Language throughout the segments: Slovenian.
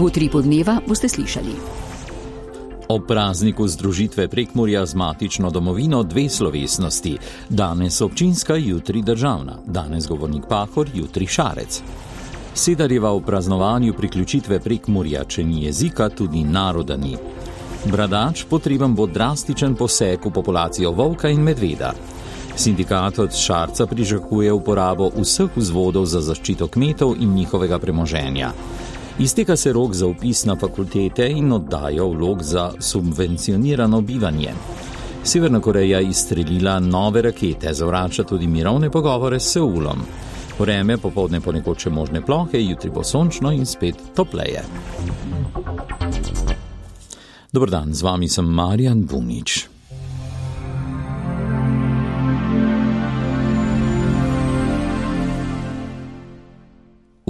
V Utripu dneva boste slišali. Ob prazniku združitve Prekmurja z matično domovino dve slovesnosti. Danes občinska, jutri državna. Danes govornik Pahor, jutri Šarec. Sedarjeva v praznovanju priključitve Prekmurja, če ni jezika, tudi naroda ni. Bradač, potreben bo drastičen poseg v populacijo volka in medveda. Sindikat od Šarca pričakuje uporabo vseh vzvodov za zaščito kmetov in njihovega premoženja. Izteka se rok za vpis na fakultete in oddajo vlog za subvencionirano bivanje. Severna Koreja izstrelila nove rakete, zavrača tudi mirovne pogovore s Seulom. Vreme popoldne ponekod še možne plohe, jutri bo sončno in spet topleje. Dober dan, z vami sem Marjan Bunič.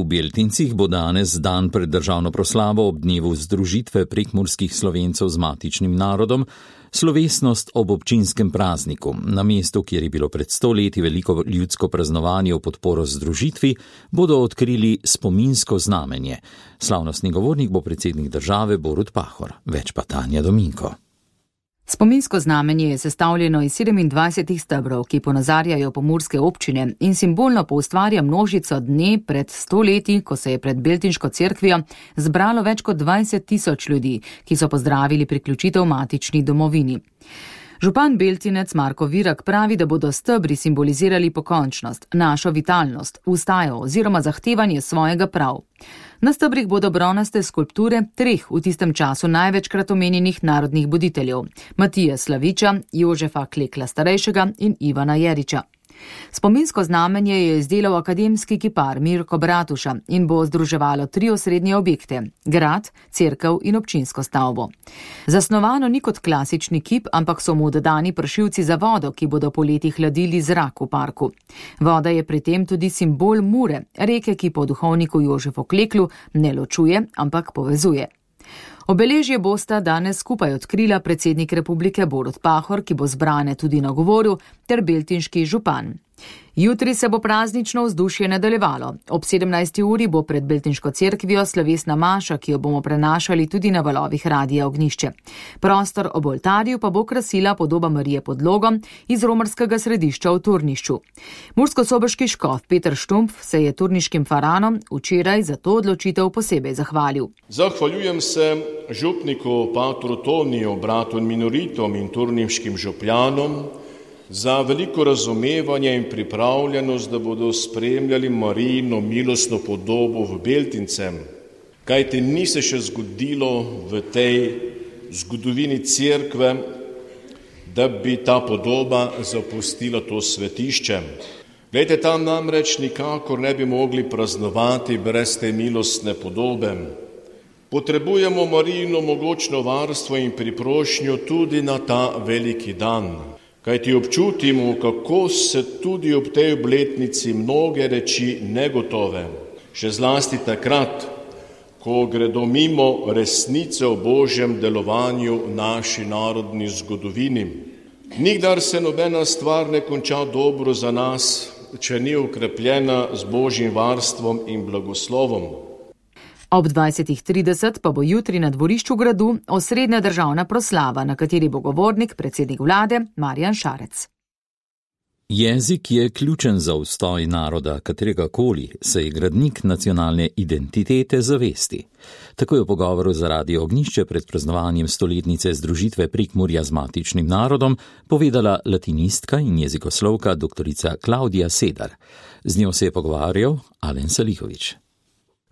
V Beltincih bo danes dan pred državno proslavo ob dnevu združitve prekmurskih Slovencev z matičnim narodom, slovesnost ob občinskem prazniku. Na mestu, kjer je bilo pred 100 leti veliko ljudsko praznovanje v podporo združitvi, bodo odkrili spominsko znamenje. Slavnostni govornik bo predsednik države Borut Pahor, več pa Tanja Dominko. Spominsko znamenje je sestavljeno iz 27 stebrov, ki ponazarjajo pomurske občine in simbolno poustvarja množico dne pred 100 leti, ko se je pred Beltinško cerkvijo zbralo več kot 20.000 ljudi, ki so pozdravili priključitev matični domovini. Župan Beltinec Marko Virak pravi, da bodo stebri simbolizirali pokončnost, našo vitalnost, ustajo oziroma zahtevanje svojega prav. Na stebrih bodo bronaste skulpture treh v tistem času največkrat omenjenih narodnih buditeljev: Matije Slaviča, Jožefa Klekla starejšega in Ivana Jeriča. Spominsko znamenje je izdelal akademski kipar Mirko Bratuša in bo združevalo 3 osrednje objekte: grad, cerkev in občinsko stavbo. Zasnovano ni kot klasični kip, ampak so mu dodani pršilci za vodo, ki bodo poleti hladili zrak v parku. Voda je pri tem tudi simbol Mure, reke, ki po duhovniku Jožefu Kleklu ne ločuje, ampak povezuje. Obeležje bosta danes skupaj odkrila predsednik republike Borut Pahor, ki bo zbrane tudi nagovoril, ter beltinški župan. Jutri se bo praznično vzdušje nadaljevalo. Ob 17. uri bo pred Beltinško cerkvijo slovesna maša, ki jo bomo prenašali tudi na valovih Radia Ognjišče. Prostor ob oltarju pa bo krasila podoba Marije pod Logom iz romarskega središča v Turnišču. Murskosoboški škof Peter Štumpf se je turniškim faranom včeraj za to odločitev posebej zahvalil. Zahvaljujem se župniku patru Toniju, bratu in minoritom in turniškim župljanom za veliko razumevanje in pripravljenost, da bodo spremljali Marijino milostno podobo v Beltincem. Kajti ni se še zgodilo v tej zgodovini cerkve, da bi ta podoba zapustila to svetišče. Glejte, tam namreč nikakor ne bi mogli praznovati brez te milostne podobe. Potrebujemo Marijino mogočno varstvo in priprošnjo tudi na ta veliki dan. Kajti občutimo, kako se tudi ob tej obletnici mnoge reči negotove, še zlasti takrat, ko gredo mimo resnice o Božjem delovanju v naši narodni zgodovini. Nikdar se nobena stvar ne konča dobro za nas, če ni okrepljena z Božjim varstvom in blagoslovom. Ob 20.30 pa bo jutri na dvorišču gradu osrednja državna proslava, na kateri bo govornik predsednik vlade Marjan Šarec. Jezik je ključen za obstoj naroda, kateregakoli, saj je gradnik nacionalne identitete zavesti. Tako je v pogovoru za Radio Ognjišče pred praznovanjem 100-letnice združitve Prekmurja z matičnim narodom povedala latinistka in jezikoslovka doktorica Klaudija Sedar. Z njo se je pogovarjal Alen Salihović.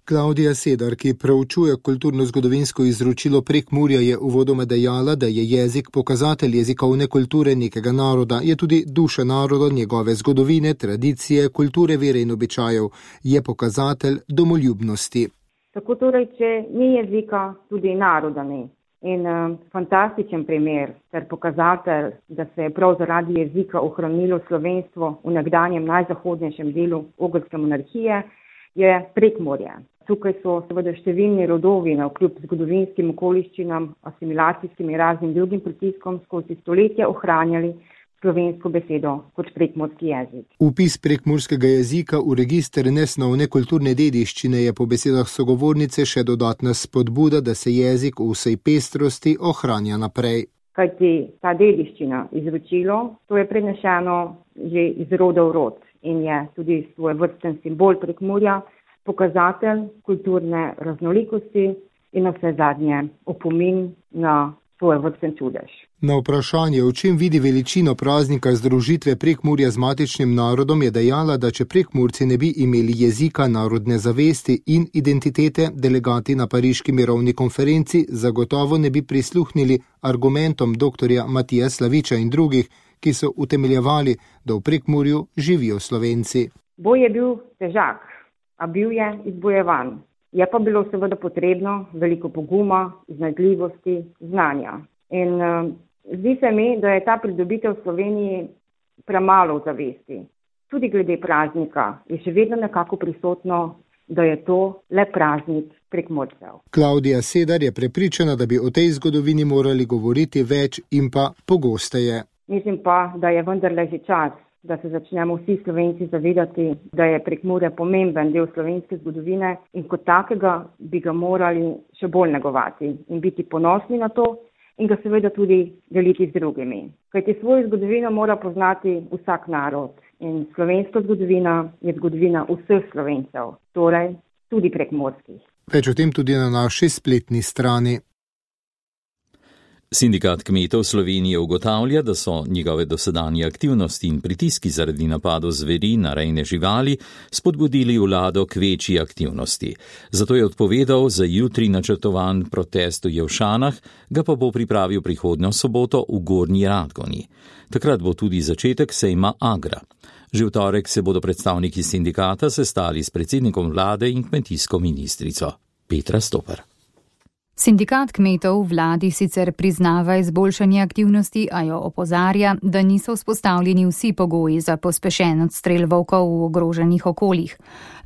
Klaudija Sedar, ki preučuje kulturno-zgodovinsko izročilo Prekmurja, je uvodoma dejala, da je jezik pokazatelj jezikovne kulture nekega naroda, je tudi duša naroda, njegove zgodovine, tradicije, kulture, vere in običajev, je pokazatelj domoljubnosti. Tako torej, če ni jezika, tudi naroda ni. In fantastičen primer ter pokazatelj, da se je prav zaradi jezika ohranilo slovenstvo v nekdanjem najzahodnejšem delu ogrske monarhije, je Prekmurje. Tukaj so seveda številni rodovi navkljub zgodovinskim okoliščinam, asimilacijskim in raznim drugim pritiskom skozi stoletja ohranjali slovensko besedo kot prekmurski jezik. Vpis prekmurskega jezika v register nesnovne kulturne dediščine je po besedah sogovornice še dodatna spodbuda, da se jezik v vsej pestrosti ohranja naprej. Kajti ta dediščina, izročilo, to je prenešeno že iz roda v rod in je tudi svojevrsten simbol Prekmurja, pokazatelj kulturne raznolikosti in na vse zadnje opomin na svojevrsten čudež. Na vprašanje, v čem vidi veličino praznika združitve Prekmurja z matičnim narodom, je dejala, da če Prekmurci ne bi imeli jezika, narodne zavesti in identitete, delegati na pariški mirovni konferenci zagotovo ne bi prisluhnili argumentom dr. Matija Slaviča in drugih, ki so utemeljevali, da v Prekmurju živijo Slovenci. Boj je bil težak, a bil je izbojevan. Je pa bilo seveda potrebno veliko poguma, iznajdljivosti, znanja. In zdi se mi, da je ta pridobitev v Sloveniji premalo zavesti. Tudi glede praznika je še vedno nekako prisotno, da je to le praznik Prekmurcev. Klavdija Sedar je prepričana, da bi o tej zgodovini morali govoriti več in pa pogosteje. Mislim pa, da je vendarle že čas, da se začnemo vsi Slovenci zavedati, da je Prekmurje pomemben del slovenske zgodovine in kot takega bi ga morali še bolj negovati in biti ponosni na to in ga seveda tudi deliti z drugimi. Kajti svojo zgodovino mora poznati vsak narod in slovenska zgodovina je zgodovina vseh Slovencev, torej tudi prekmurskih. Več o tem tudi na naši spletni strani. Sindikat kmetov Slovenije ugotavlja, da so njegove dosedanje aktivnosti in pritiski zaradi napadov zveri na rejne živali spodbudili vlado k večji aktivnosti. Zato je odpovedal za jutri načrtovan protest v Jelšanah, ga pa bo pripravil prihodnjo soboto v Gornji Radgoni. Takrat bo tudi začetek sejma Agra. Že v torek se bodo predstavniki sindikata sestali s predsednikom vlade in kmetijsko ministrico. Petra Stopar. Sindikat kmetov vladi sicer priznava izboljšanje aktivnosti, a jo opozarja, da niso vzpostavljeni vsi pogoji za pospešen odstrel volkov v ogroženih okoljih.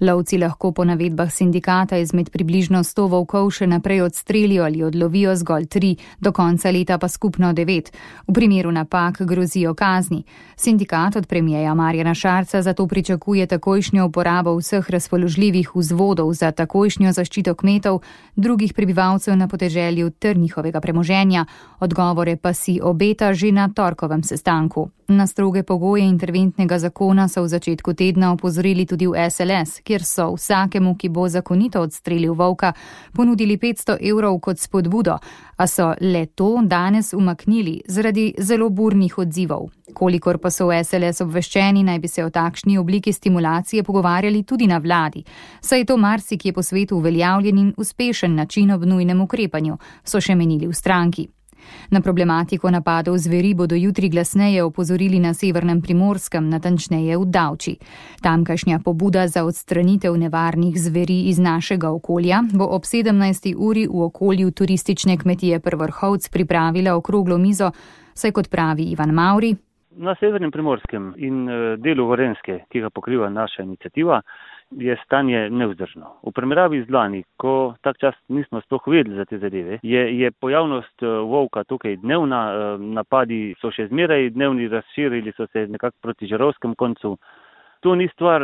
Lovci lahko po navedbah sindikata izmed približno 100 volkov še naprej odstrelijo ali odlovijo zgolj 3, do konca leta pa skupno 9. V primeru napak grozijo kazni. Sindikat od premierja Marjana Šarca zato pričakuje takojšnjo uporabo vseh razpoložljivih vzvodov za takojšnjo zaščito kmetov, drugih prebivalcev na podeželju ter njihovega premoženja. Odgovore pa si obeta že na torkovem sestanku. Na stroge pogoje interventnega zakona so v začetku tedna opozorili tudi v SLS, kjer so vsakemu, ki bo zakonito odstrelil volka, ponudili 500 evrov kot spodbudo, a so le to danes umaknili zaradi zelo burnih odzivov. Kolikor pa so v SLS obveščeni, naj bi se o takšni obliki stimulacije pogovarjali tudi na vladi. Saj je to marsikje po svetu uveljavljen in uspešen način ob nujnem ukrepanju, so še menili v stranki. Na problematiko napadov zveri bodo jutri glasneje opozorili na severnem Primorskem, natančneje v Davči. Tamkajšnja pobuda za odstranitev nevarnih zveri iz našega okolja bo ob 17. uri v okolju turistične kmetije Prvrhovc pripravila okroglo mizo, saj kot pravi Ivan Mavri. Na severnem Primorskem in delu Gorenjske, ki ga pokriva naša iniciativa, je stanje nevzdržno. V primerjavi z lani, ko tak čas nismo sploh vedeli za te zadeve, je pojavnost volka tukaj dnevna, napadi so še zmeraj dnevni, razširili so se nekako proti žarovskem koncu. To ni stvar,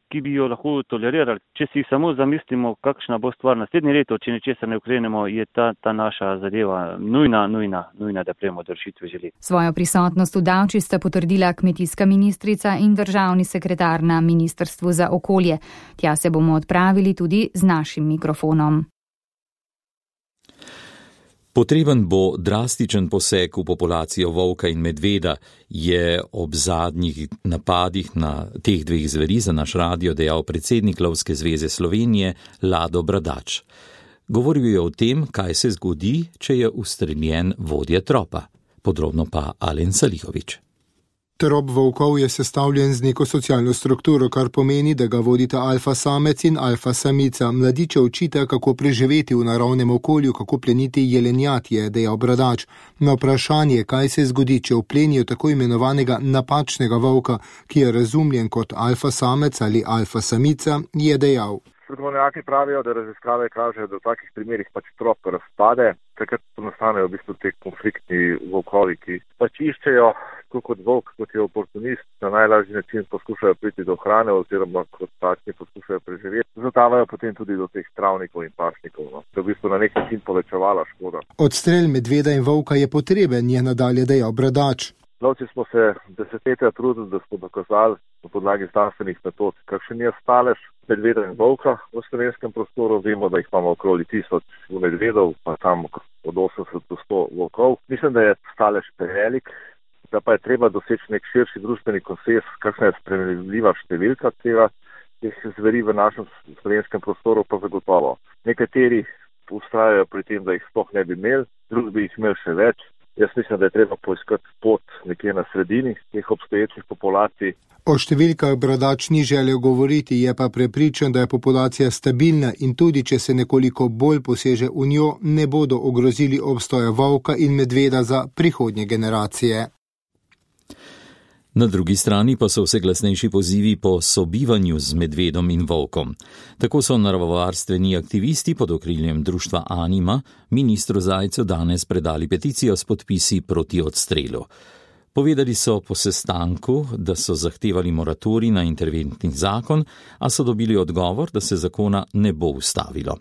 ki bi jo lahko tolerirali. Če si samo zamislimo, kakšna bo stvar naslednje leto, če nečesa ne ukrenemo, je ta naša zadeva nujna, da prejmemo do rešitve želi. Svojo prisotnost v Davči sta potrdila kmetijska ministrica in državni sekretar na Ministrstvu za okolje. Tja se bomo odpravili tudi z našim mikrofonom. Potreben bo drastičen poseg v populacijo volka in medveda, je ob zadnjih napadih na teh dveh zveri za naš radio dejal predsednik Lovske zveze Slovenije Lado Bradač. Govoril je o tem, kaj se zgodi, če je ustreljen vodja tropa. Podrobno pa Alen Salihovič. Trop volkov je sestavljen z neko socialno strukturo, kar pomeni, da ga vodita alfa samec in alfa samica. Mladiče učita, kako preživeti v naravnem okolju, kako pleniti jelenjat, je dejal Bradač. Na vprašanje, kaj se zgodi, če vplenijo tako imenovanega napačnega volka, ki je razumljen kot alfa samec ali alfa samica, je dejal. Strokovnjaki pravijo, da raziskave kažejo, da v takih primerih trop razpade, takrat nastanejo v bistvu te konfliktni volkovi, ki iščejo, tako kot volk, kot je oportunist, na najlažji način poskušajo priti do hrane oziroma kot takšni poskušajo preživeti. Zatavajo potem tudi do teh travnikov in pašnikov, da v bistvu na nek način povečevala škoda. Odstrel medveda in volka je potreben, je nadalje dejal Bradač. Lovci smo se desetletja trudili, da smo dokazali na podlagi znanstvenih metod, kakšen je stalež medveda in volka v slovenskem prostoru. Vemo, da jih imamo okoli 1000 medvedov, pa tam od 80 do 100 volkov. Mislim, da je stalež prevelik, da pa je treba doseči nek širši družbeni konsens, kakšna je sprejemljiva številka teh zveri v našem slovenskem prostoru, pa zagotovo. Nekateri ustrajajo pri tem, da jih sploh ne bi imeli, drugi bi jih imeli še več. Jaz mislim, da je treba poiskati pot nekje na sredini teh obstoječih populacij. O številkah Bradač ni želel govoriti, je pa prepričan, da je populacija stabilna in tudi, če se nekoliko bolj poseže v njo, ne bodo ogrozili obstoja volka in medveda za prihodnje generacije. Na drugi strani pa so vse glasnejši pozivi po sobivanju z medvedom in volkom. Tako so naravovarstveni aktivisti pod okriljem društva Anima ministru Zajcu danes predali peticijo s podpisi proti odstrelu. Povedali so po sestanku, da so zahtevali moratorij na interventni zakon, a so dobili odgovor, da se zakona ne bo ustavilo.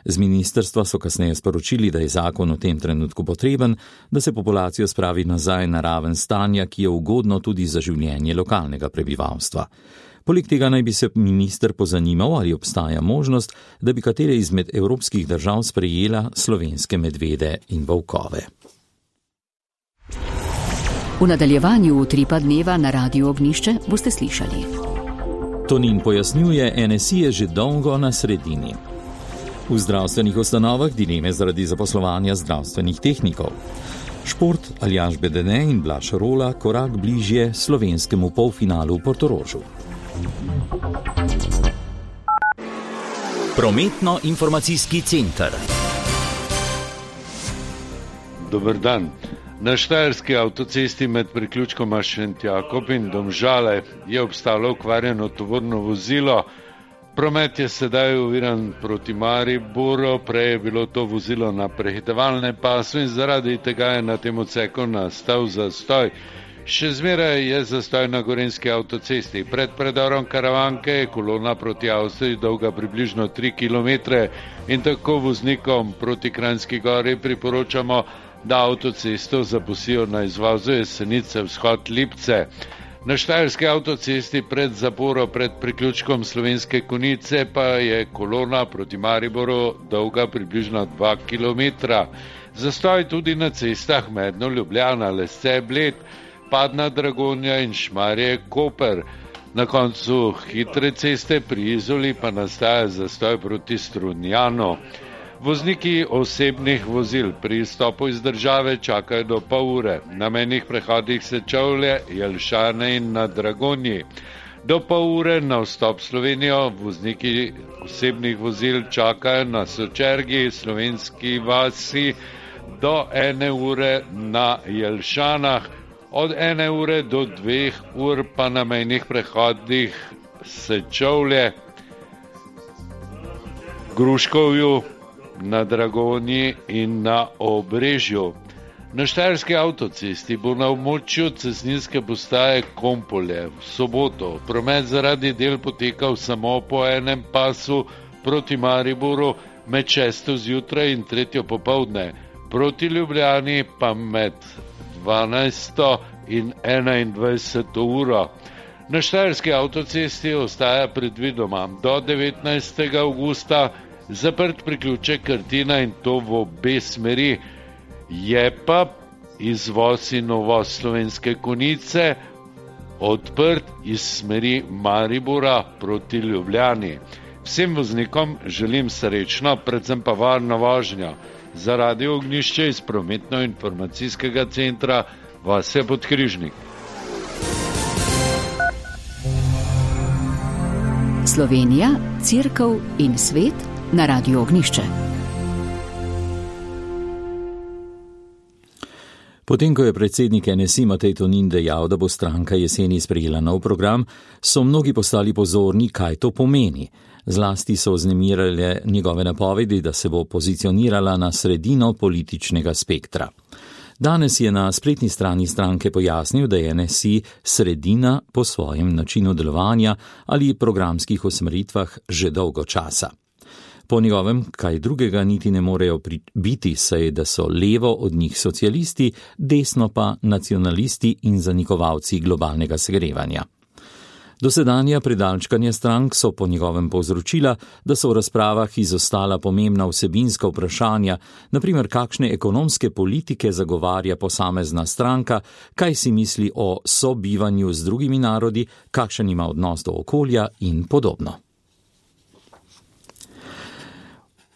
Z ministrstva so kasneje sporočili, da je zakon v tem trenutku potreben, da se populacijo spravi nazaj na raven stanja, ki je ugodno tudi za življenje lokalnega prebivalstva. Poleg tega naj bi se minister pozanimal, ali obstaja možnost, da bi katere izmed evropskih držav sprejela slovenske medvede in volkove. V nadaljevanju Utripa dneva na Radiu Ognjišče boste slišali. Tonin pojasnjuje, NSI je že dolgo na sredini. V zdravstvenih ustanovah dileme zaradi zaposlovanja zdravstvenih tehnikov. Šport, Aljaž Bedene in Blaž Rola korak bližje slovenskemu polfinalu v Portorožu. Prometno-informacijski center. Dober dan. Na štajerski avtocesti med priključkoma Šentjakob in Domžale je obstalo okvarjeno tovorno vozilo. Promet je sedaj oviran proti Mariboru, prej je bilo to vozilo na prehitevalnem pasu in zaradi tega je na tem odseku nastal zastoj. Še zmeraj je zastoj na gorenjski avtocesti. Pred predorom Karavanke je kolona proti Avstriji dolga približno 3 km in tako voznikom proti Kranjski gori priporočamo, da avtocesto zapustijo na izvozu Jesenice vzhod Lipce. Na štajerski avtocesti pred zaporo pred priključkom Slovenske Konjice pa je kolona proti Mariboru dolga približno 2 km. Zastoj tudi na cestah Medno, Ljubljana, Lesce, Bled, Padna, Dragonja in Šmarje, Koper. Na koncu hitre ceste pri Izoli pa nastaja zastoj proti Strunjanu. Vozniki osebnih vozil pri izstopu iz države čakajo do pol ure. Na mejnih prehodih Sečovlje, Jelšane in na Dragonji. Do pol ure na vstop Slovenijo vozniki osebnih vozil čakajo na Sočergi, Slovenski vasi do 1 ure na Jelšanah, od 1 ure do 2 ur pa na mejnih prehodih Sečovlje, Gruškovju, na Dragonji in na Obrežju. Na štajerski avtocesti bo na območju cestninske postaje Kompolje v soboto promet zaradi del potekal samo po enem pasu proti Mariboru med 6. zjutraj in 3. popoldne, proti Ljubljani pa med 12. in 21. uro. Na štajerski avtocesti ostaja predvidoma do 19. avgusta zaprt priključek Krtina in to v obe smeri. Je pa izvoz in uvoz Slovenske Konjice odprt iz smeri Maribora proti Ljubljani. Vsem voznikom želim srečno, predvsem pa varno vožnjo. Za Radio Ognjišče iz prometno-informacijskega centra Vasja Podkrižnik. Slovenija, Cerkev in svet na Radiu Ognjišče. Potem, ko je predsednik NSI Matej Tonin dejal, da bo stranka jeseni sprejela nov program, so mnogi postali pozorni, kaj to pomeni. Zlasti so vznemirale njegove napovedi, da se bo pozicionirala na sredino političnega spektra. Danes je na spletni strani stranke pojasnil, da je NSI sredina po svojem načinu delovanja ali programskih usmeritvah že dolgo časa. Po njegovem, kaj drugega niti ne morejo biti, saj da so levo od njih socialisti, desno pa nacionalisti in zanikovalci globalnega segrevanja. Dosedanja predalčkanja strank so po njegovem povzročila, da so v razpravah izostala pomembna vsebinska vprašanja, naprimer kakšne ekonomske politike zagovarja posamezna stranka, kaj si misli o sobivanju z drugimi narodi, kakšen ima odnos do okolja in podobno.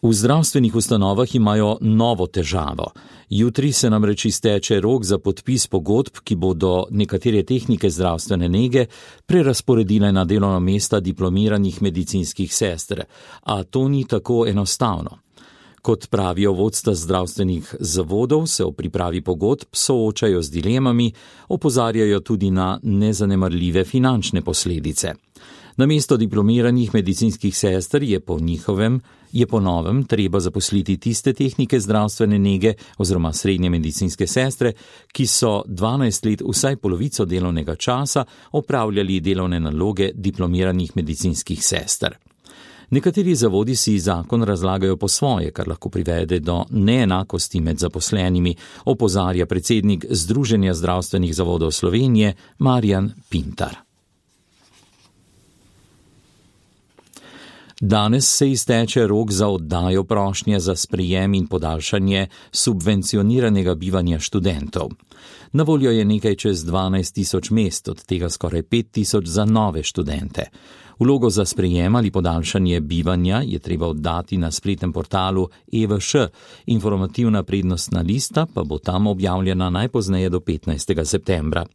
V zdravstvenih ustanovah imajo novo težavo. Jutri se namreč izteče rok za podpis pogodb, ki bodo nekatere tehnike zdravstvene nege prerazporedile na delovna mesta diplomiranih medicinskih sester, a to ni tako enostavno. Kot pravijo vodstva zdravstvenih zavodov, se o pripravi pogodb soočajo z dilemami, opozarjajo tudi na nezanemarljive finančne posledice. Namesto diplomiranih medicinskih sester je po novem treba zaposliti tiste tehnike zdravstvene nege oziroma srednje medicinske sestre, ki so 12 let vsaj polovico delovnega časa opravljali delovne naloge diplomiranih medicinskih sester. Nekateri zavodi si zakon razlagajo po svoje, kar lahko privede do neenakosti med zaposlenimi, opozarja predsednik Združenja zdravstvenih zavodov Slovenije Marjan Pintar. Danes se izteče rok za oddajo prošnje za sprejem in podaljšanje subvencioniranega bivanja študentov. Na voljo je nekaj čez 12.000 mest, od tega skoraj 5.000 za nove študente. Vlogo za sprejem ali podaljšanje bivanja je treba oddati na spletnem portalu EVŠ, informativna prednostna lista pa bo tam objavljena najpozneje do 15. septembra.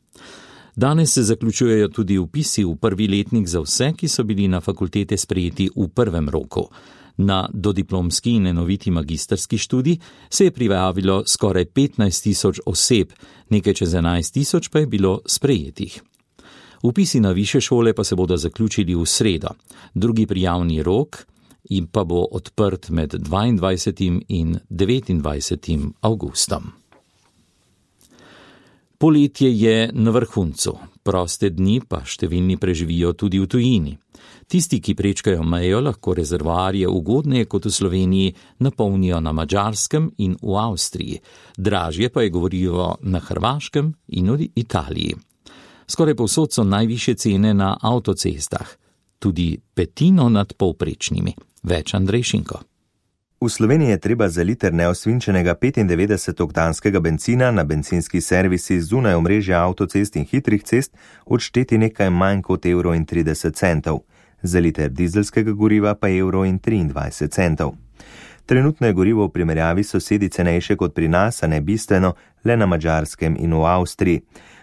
Danes se zaključujejo tudi vpisi v prvi letnik za vse, ki so bili na fakultete sprejeti v prvem roku. Na dodiplomski in enoviti magistrski študij se je prijavilo skoraj 15.000 oseb, nekaj čez 11.000 pa je bilo sprejetih. Vpisi na višje šole pa se bodo zaključili v sredo. Drugi prijavni rok in pa bo odprt med 22. in 29. avgustom. Poletje je na vrhuncu, proste dni pa številni preživijo tudi v tujini. Tisti, ki prečkajo mejo, lahko rezervoarje ugodneje kot v Sloveniji napolnijo na Madžarskem in v Avstriji, dražje pa je gorivo na Hrvaškem in v Italiji. Skoraj povsod so najvišje cene na avtocestah, tudi petino nad povprečnimi. Več Andrej Šinko. V Sloveniji je treba za liter neosvinčenega 95-oktanskega bencina na bencinski servisi zunaj omrežja avtocest in hitrih cest odšteti nekaj manj kot €1,30. Za liter dizelskega goriva pa €1,23. Trenutno je gorivo v primerjavi s sosedi cenejše kot pri nas, a ne bistveno, le na Madžarskem in v Avstriji.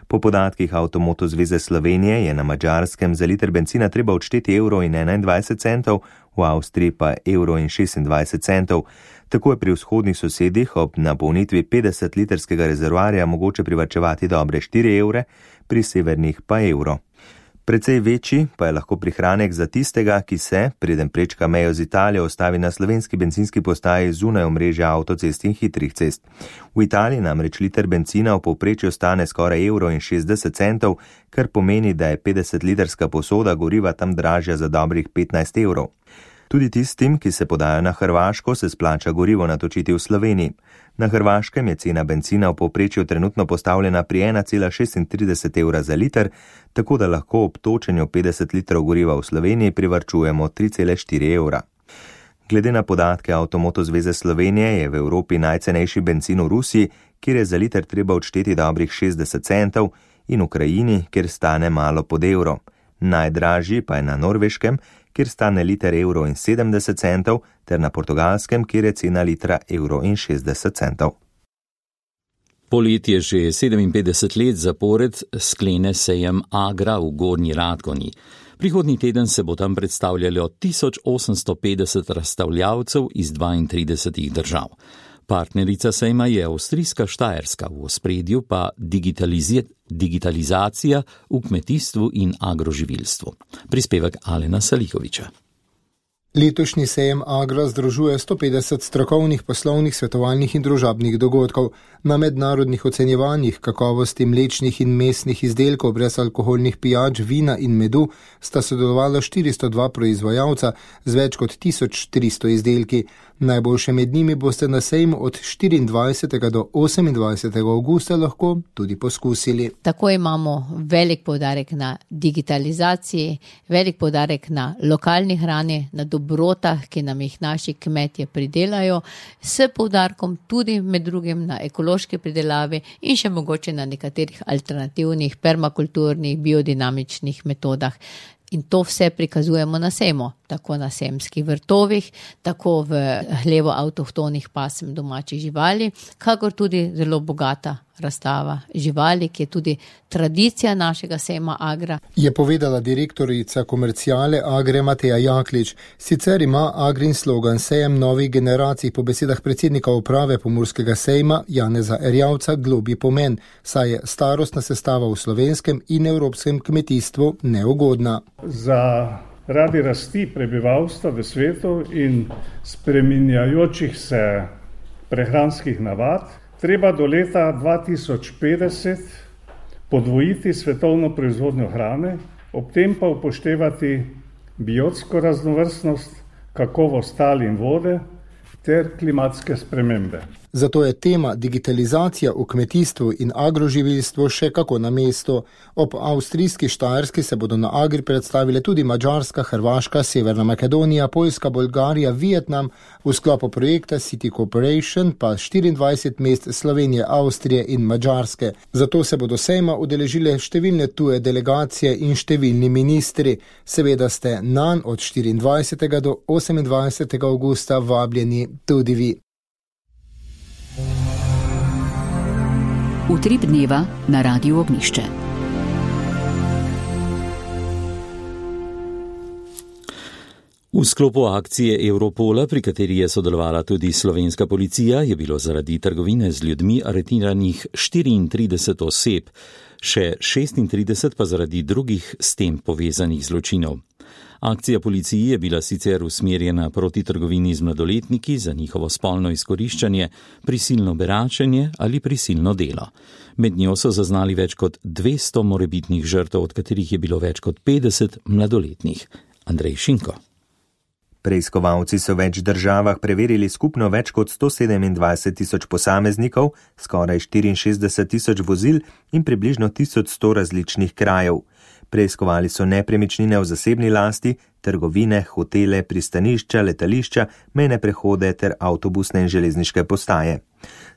Po podatkih Avtomoto zveze Slovenije je na Madžarskem za liter bencina treba odšteti €1,21, v Avstriji pa €1,26. Tako je pri vzhodnih sosedih ob napolnitvi 50-litrskega rezervoarja mogoče privarčevati dobre €4, pri severnih pa €1. Precej večji pa je lahko prihranek za tistega, ki se, preden prečka mejo z Italijo, ostavi na slovenski bencinski postaji zunaj omrežja avtocest in hitrih cest. V Italiji namreč liter bencina v povprečju stane skoraj €1,60, kar pomeni, da je 50-litrska posoda goriva tam dražja za dobrih €15. Tudi tistim, ki se podajo na Hrvaško, se splača gorivo natočiti v Sloveniji. Na Hrvaškem je cena bencina v povprečju trenutno postavljena pri €1,36 za liter, tako da lahko ob točenju 50 litrov goriva v Sloveniji privarčujemo €3,4. Glede na podatke Avtomoto zveze Slovenije je v Evropi najcenejši bencin v Rusiji, kjer je za liter treba odšteti dobrih 60 centov, in v Krajini, kjer stane malo pod €1. Najdražji pa je na Norveškem, kjer stane liter €1,70, ter na Portugalskem, kjer je cena litra €1,60. Poletje že 57 let zapored sklene sejem Agra v Gornji Radgoni. Prihodnji teden se bo tam predstavljalo 1850 razstavljavcev iz 32 držav. Partnerica sejma je avstrijska Štajerska, v ospredju pa digitalizacija v kmetijstvu in agroživilstvu. Prispevek Alena Salikoviča. Letošnji sejem Agra združuje 150 strokovnih, poslovnih, svetovalnih in družabnih dogodkov. Na mednarodnih ocenjevanjih kakovosti mlečnih in mesnih izdelkov brez alkoholnih pijač, vina in medu sta sodelovala 402 proizvajalca z več kot 1300 izdelki. Najboljše med njimi boste na sejmu od 24. do 28. augusta lahko tudi poskusili. Tako imamo velik poudarek na digitalizaciji, velik poudarek na lokalni hrani, na dobrotah, ki nam jih naši kmetje pridelajo, s poudarkom tudi med drugim na ekološki pridelavi in še mogoče na nekaterih alternativnih, permakulturnih, biodinamičnih metodah. In to vse prikazujemo na sejmu, tako na sejmskih vrtovih, tako v hlevu avtohtonih pasem domačih živali, kakor tudi zelo bogata razstava živali, ki je tudi tradicija našega sejma Agra. Je povedala direktorica komerciale Agre Mateja Jaklič. Sicer ima Agrin slogan Sejem novih generacij po besedah predsednika uprave Pomurskega sejma Janeza Erjavca globlji pomen, saj je starostna sestava v slovenskem in evropskem kmetijstvu neugodna. Zaradi rasti prebivalstva v svetu in spreminjajočih se prehranskih navad treba do leta 2050 podvojiti svetovno proizvodnjo hrane, ob tem pa upoštevati biotsko raznovrstnost, kakovost tal in vode ter klimatske spremembe. Zato je tema digitalizacija v kmetijstvu in agroživilstvu še kako na mestu. Ob avstrijski Štajerski se bodo na Agri predstavile tudi Madžarska, Hrvaška, Severna Makedonija, Poljska, Bolgarija, Vietnam, v sklopu projekta City Cooperation pa 24 mest Slovenije, Avstrije in Madžarske. Zato se bodo sejma udeležile številne tuje delegacije in številni ministri. Seveda ste nanj od 24. do 28. augusta vabljeni tudi vi. Utrip dneva na Radiu Ognjišče. V sklopu akcije Europola, pri kateri je sodelovala tudi slovenska policija, je bilo zaradi trgovine z ljudmi aretiranih 34 oseb, še 36 pa zaradi drugih s tem povezanih zločinov. Akcija policiji je bila sicer usmerjena proti trgovini z mladoletniki za njihovo spolno izkoriščanje, prisilno beračenje ali prisilno delo. Med njo so zaznali več kot 200 morebitnih žrtev, od katerih je bilo več kot 50 mladoletnih. Andrej Šinko. Preiskovalci so v več državah preverili skupno več kot 127 000 posameznikov, skoraj 64 000 vozil in približno 1100 različnih krajev. Preiskovali so nepremičnine v zasebni lasti, trgovine, hotele, pristanišča, letališča, mejne prehode ter avtobusne in železniške postaje.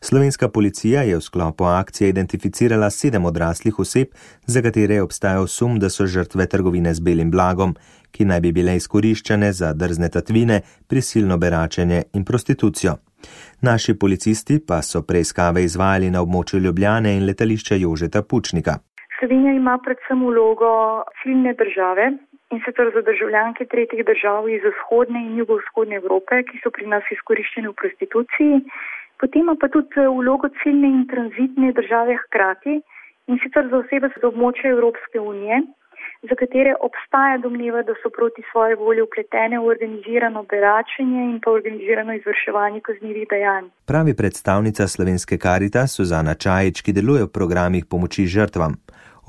Slovenska policija je v sklopu akcije identificirala 7 odraslih oseb, za katere je obstajal sum, da so žrtve trgovine z belim blagom, ki naj bi bile izkoriščane za drzne tatvine, prisilno beračenje in prostitucijo. Naši policisti pa so preiskave izvajali na območju Ljubljane in letališča Jožeta Pučnika. Slovenija ima predvsem vlogo ciljne države in sicer za državljanke tretjih držav iz vzhodne in jugovzhodne Evrope, ki so pri nas izkoriščene v prostituciji. Potem ima pa tudi vlogo ciljne in tranzitne države hkrati in sicer za osebe z območja Evropske unije, za katere obstaja domneva, da so proti svoje volje vpletene v organizirano beračenje in pa organizirano izvrševanje kaznivih dejanj. Pravi predstavnica Slovenske Karitas Suzana Čajič, ki deluje v programih pomoči žrtvam.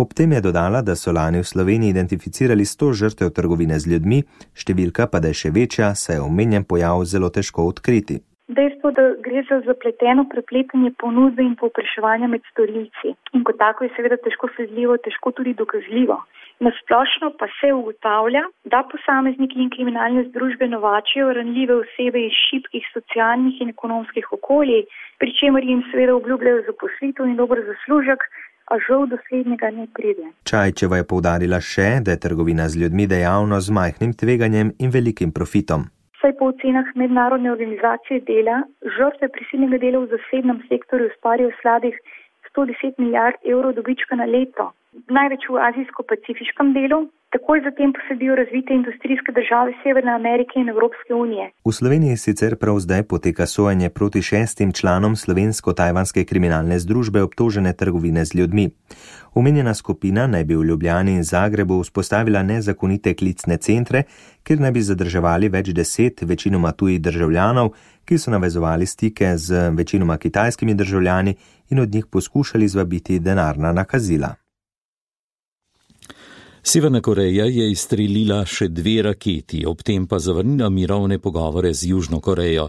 Ob tem je dodala, da so lani v Sloveniji identificirali 100 žrtev trgovine z ljudmi, številka pa da je še večja, saj je omenjen pojav zelo težko odkriti. Dejstvo, da gre za zapleteno prepletanje ponudbe in povpraševanja med storilci. In kot tako je seveda težko sledljivo, težko tudi dokazljivo. Na splošno pa se ugotavlja, da posamezniki in kriminalne združbe novačijo ranljive osebe iz šibkih socialnih in ekonomskih okolij, pri čemer jim seveda obljubljajo zaposlitev in dober zaslužek, a žal do slednjega ne pride. Čajčeva je poudarila še, da je trgovina z ljudmi dejavnost z majhnim tveganjem in velikim profitom. Saj po ocenah mednarodne organizacije dela, žrtve prisilnega dela v zasebnem sektorju ustvarijo slabih 110 milijard evrov dobička na leto. Največ v azijsko-pacifiškem delu, takoj zatem pa sledijo razvite industrijske države Severne Amerike in Evropske unije. V Sloveniji sicer prav zdaj poteka sojenje proti 6 članom slovensko-tajvanske kriminalne združbe obtožene trgovine z ljudmi. Omenjena skupina naj bi v Ljubljani in Zagrebu vzpostavila nezakonite klicne centre, kjer naj bi zadrževali več 10 večinoma tujih državljanov, ki so navezovali stike z večinoma kitajskimi državljani in od njih poskušali zvabiti denarna nakazila. Severna Koreja je izstrelila še 2 raketi, ob tem pa zavrnila mirovne pogovore z Južno Korejo.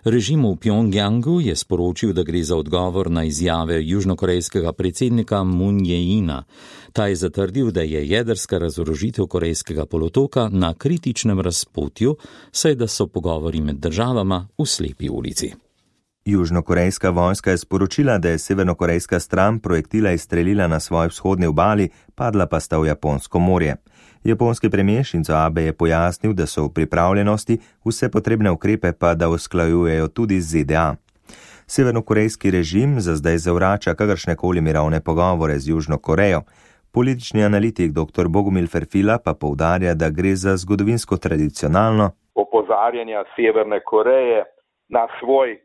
Režim v Pjongjangu je sporočil, da gre za odgovor na izjave južnokorejskega predsednika Moon Jae-ina. Ta je zatrdil, da je jedrska razorožitev Korejskega polotoka na kritičnem razpotju, saj da so pogovori med državama v slepi ulici. Južnokorejska vojska je sporočila, da je severnokorejska stran projektila izstrelila na svoji vzhodni obali, padla pa sta v Japonsko morje. Japonski premijer Shinzo Abe je pojasnil, da so v pripravljenosti, vse potrebne ukrepe pa da usklajujejo tudi z ZDA. Severnokorejski režim za zdaj zavrača kakršnekoli mirovne pogovore z Južno Korejo. Politični analitik dr. Bogumil Ferfila pa poudarja, da gre za zgodovinsko tradicionalno opozarjanja Severne Koreje na svoj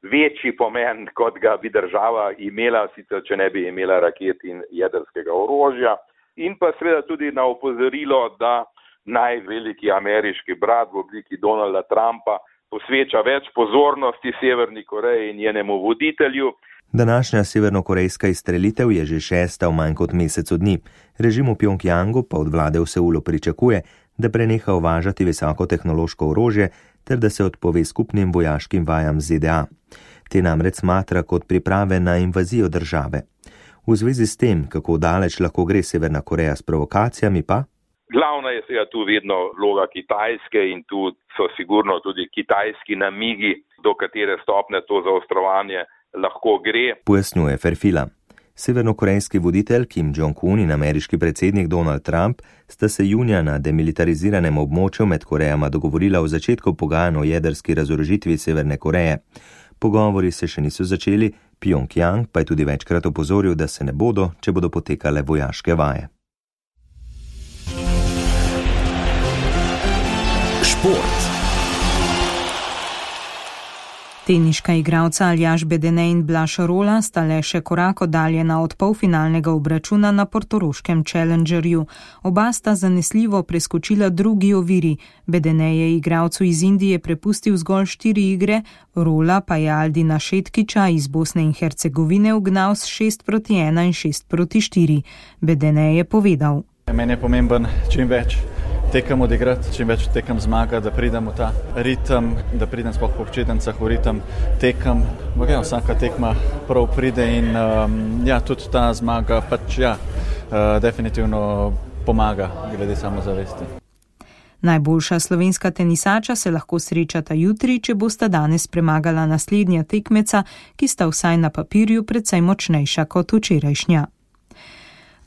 večji pomen, kot ga bi država imela, sicer če ne bi imela raket in jedrskega orožja. In pa seveda tudi na opozorilo, da najveliki ameriški brat v obliki Donalda Trumpa posveča več pozornosti Severni Koreji in njenemu voditelju. Današnja severnokorejska izstrelitev je že 6. v manj kot mesecu dni. Režim v Pjongjangu pa od vlade v Seulu pričakuje, da preneha uvažati visokotehnološko orožje ter da se odpove skupnim vojaškim vajam ZDA. Te namreč smatra kot priprave na invazijo države. V zvezi s tem, kako daleč lahko gre Severna Koreja s provokacijami pa? Glavna je seveda tu vedno vloga Kitajske in tu so sigurno tudi kitajski namigi, do katere stopne to zaostrovanje lahko gre. Pojasnjuje Ferfila. Severnokorejski voditelj Kim Jong-un in ameriški predsednik Donald Trump sta se junija na demilitariziranem območju med Korejama dogovorila o začetku pogajanj o jedrski razorožitvi Severne Koreje. Pogovori se še niso začeli, Pjongjang pa je tudi večkrat opozoril, da se ne bodo, če bodo potekale vojaške vaje. Šport. Teniška igralca Aljaž Bedene in Blaž Rola sta le še korak oddaljena od polfinalnega obračuna na portoroškem Challengerju. Oba sta zanesljivo preskočila drugi oviri. Bedene je igralcu iz Indije prepustil zgolj 4 igre, Rola pa je Aldina Šetkiča iz Bosne in Hercegovine ugnal s 6-1 in 6-4. Bedene je povedal. Meni je pomemben čim več tekem odigrati, čim več tekem zmaga, da pridem v ta ritem, da pridem sploh po občetencah v ritem tekem. Vsaka tekma prav pride in tudi ta zmaga definitivno pomaga glede samozavesti. Najboljša slovenska tenisača se lahko srečata jutri, če bosta danes premagala naslednja tekmeca, ki sta vsaj na papirju precej močnejša kot včerajšnja.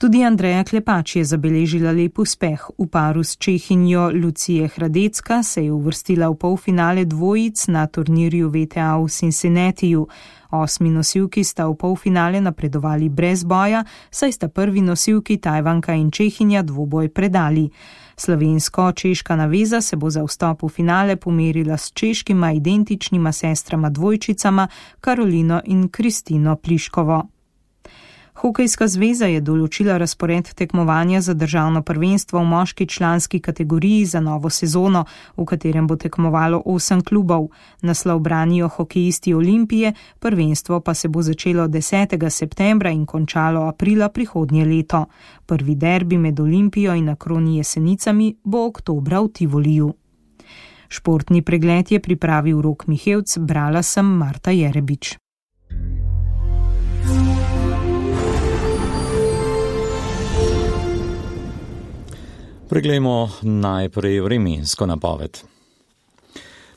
Tudi Andreja Klepač je zabeležila lep uspeh. V paru s Čehinjo Lucije Hradecka se je uvrstila v polfinale dvojic na turnirju VTA v Cincinnatiju. 8 nosilki sta v polfinale napredovali brez boja, saj sta prvi nosilki Tajvanka in Čehinja dvoboj predali. Slovensko-češka naveza se bo za vstop v finale pomerila s češkima identičnima sestrama dvojčicama Karolino in Kristino Pliškovo. Hokejska zveza je določila razpored tekmovanja za državno prvenstvo v moški članski kategoriji za novo sezono, v katerem bo tekmovalo 8 klubov. Naslov branijo hokejisti Olimpije, prvenstvo pa se bo začelo 10. septembra in končalo aprila prihodnje leto. Prvi derbi med Olimpijo in Akroni Jesenicami bo oktobra v Tivoliju. Športni pregled je pripravil Rok Mihevc, brala sem Marta Jerebič. Preglejmo najprej vremensko napoved.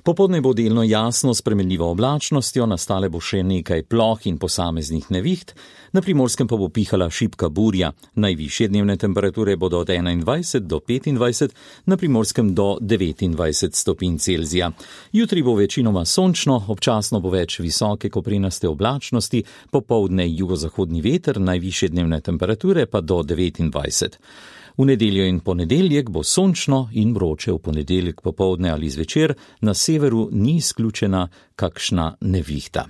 Popoldne bo delno jasno s spremenljivo oblačnostjo, nastale bo še nekaj ploh in posameznih neviht, na Primorskem pa bo pihala šibka burja. Najvišje dnevne temperature bodo od 21 do 25, na Primorskem do 29 stopinj Celzija. Jutri bo večinoma sončno, občasno bo več visoke koprenaste oblačnosti, popoldne jugozahodni veter, najvišje dnevne temperature pa do 29. V nedeljo in ponedeljek bo sončno in vroče, v ponedeljek popoldne ali zvečer, na severu ni izključena kakšna nevihta.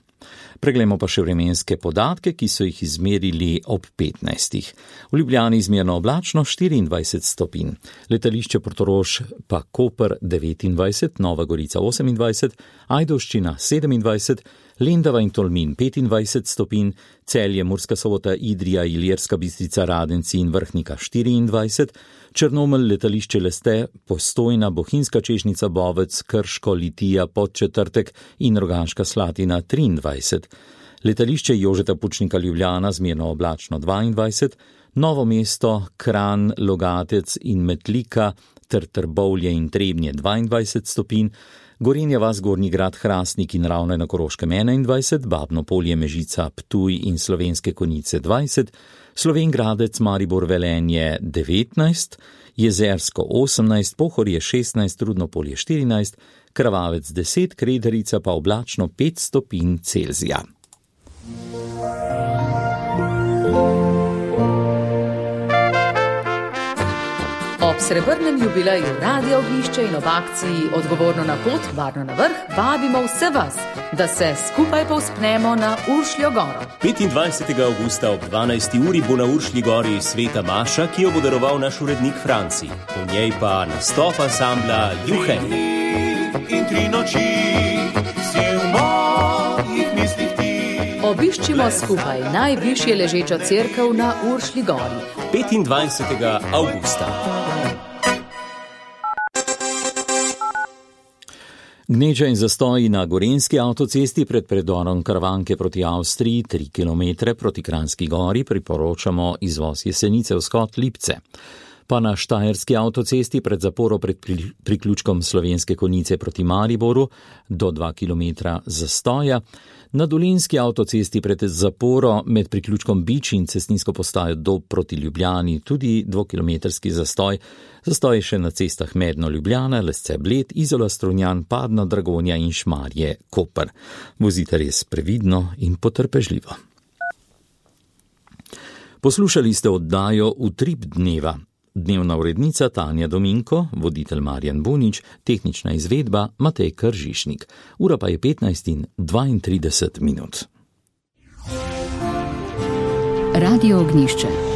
Preglejmo pa še vremenske podatke, ki so jih izmerili ob 15. V Ljubljani izmerno oblačno 24 stopinj, letališče Portorož pa Koper 29, Nova Gorica 28, Ajdovščina 27, Lendava in Tolmin 25 stopinj, Celje, Murska Sobota, Idrija, Ilirska Bistrica, Radenci in Vrhnika 24, Črnomelj, letališče Leste, Postojna, Bohinjska Češnjica, Bovec, Krško, Litija, Podčetrtek in Rogaška Slatina 23, letališče Jožeta Pučnika Ljubljana zmerno oblačno 22, Novo mesto, Kranj, Logatec in Metlika ter Trbovlje in Trebnje 22 stopinj, Gorenja vas, Gornji Grad, Hrastnik in Ravne na Koroškem 21, Babno Polje, Mežica, Ptuj in Slovenske Konjice 20, Slovenj Gradec, Maribor, Velenje 19, Jezersko 18, Pohorje 16, Rudno Polje 14, Krvavec 10, Krederica pa oblačno 5 stopinj Celzija. Ob srebrnem jubileju Radia Ognjišče in ob akciji Odgovorno na pot, varno na vrh, vabimo vse vas, da se skupaj povzpnemo na Uršljo goro. 25. avgusta ob 12. uri bo na Uršlji gori sveta maša, ki jo bo daroval naš urednik Franci. Po njej pa nastop ansambla Juhej. In 3 noči si v mojih mislih ti. Obiščimo skupaj najvišje ležečo cerkev na Uršlji gori. 25. avgusta. Gneča in zastoji na Gorenjski avtocesti pred predorom Karavanke proti Avstriji 3 km proti Kranjski gori priporočamo izvoz Jesenice vzhod Lipce. Pa na Štajerski avtocesti pred zaporo pred priključkom Slovenske Konjice proti Mariboru do 2 km zastoja. Na Dolenjski avtocesti pred zaporo med priključkom Bič in cestninsko postajo Dob proti Ljubljani tudi 2-kilometrski zastoj. Zastoj še na cestah Medno Ljubljana, Lesce Bled, Izola Strunjan, Padna Dragonja in Šmarje Koper. Vozite res previdno in potrpežljivo. Poslušali ste oddajo Utrip dneva. Dnevna urednica Tanja Dominko, voditelj Marjan Bunič, tehnična izvedba Matej Kržišnik. Ura pa je 15:32. Radio Ognjišče.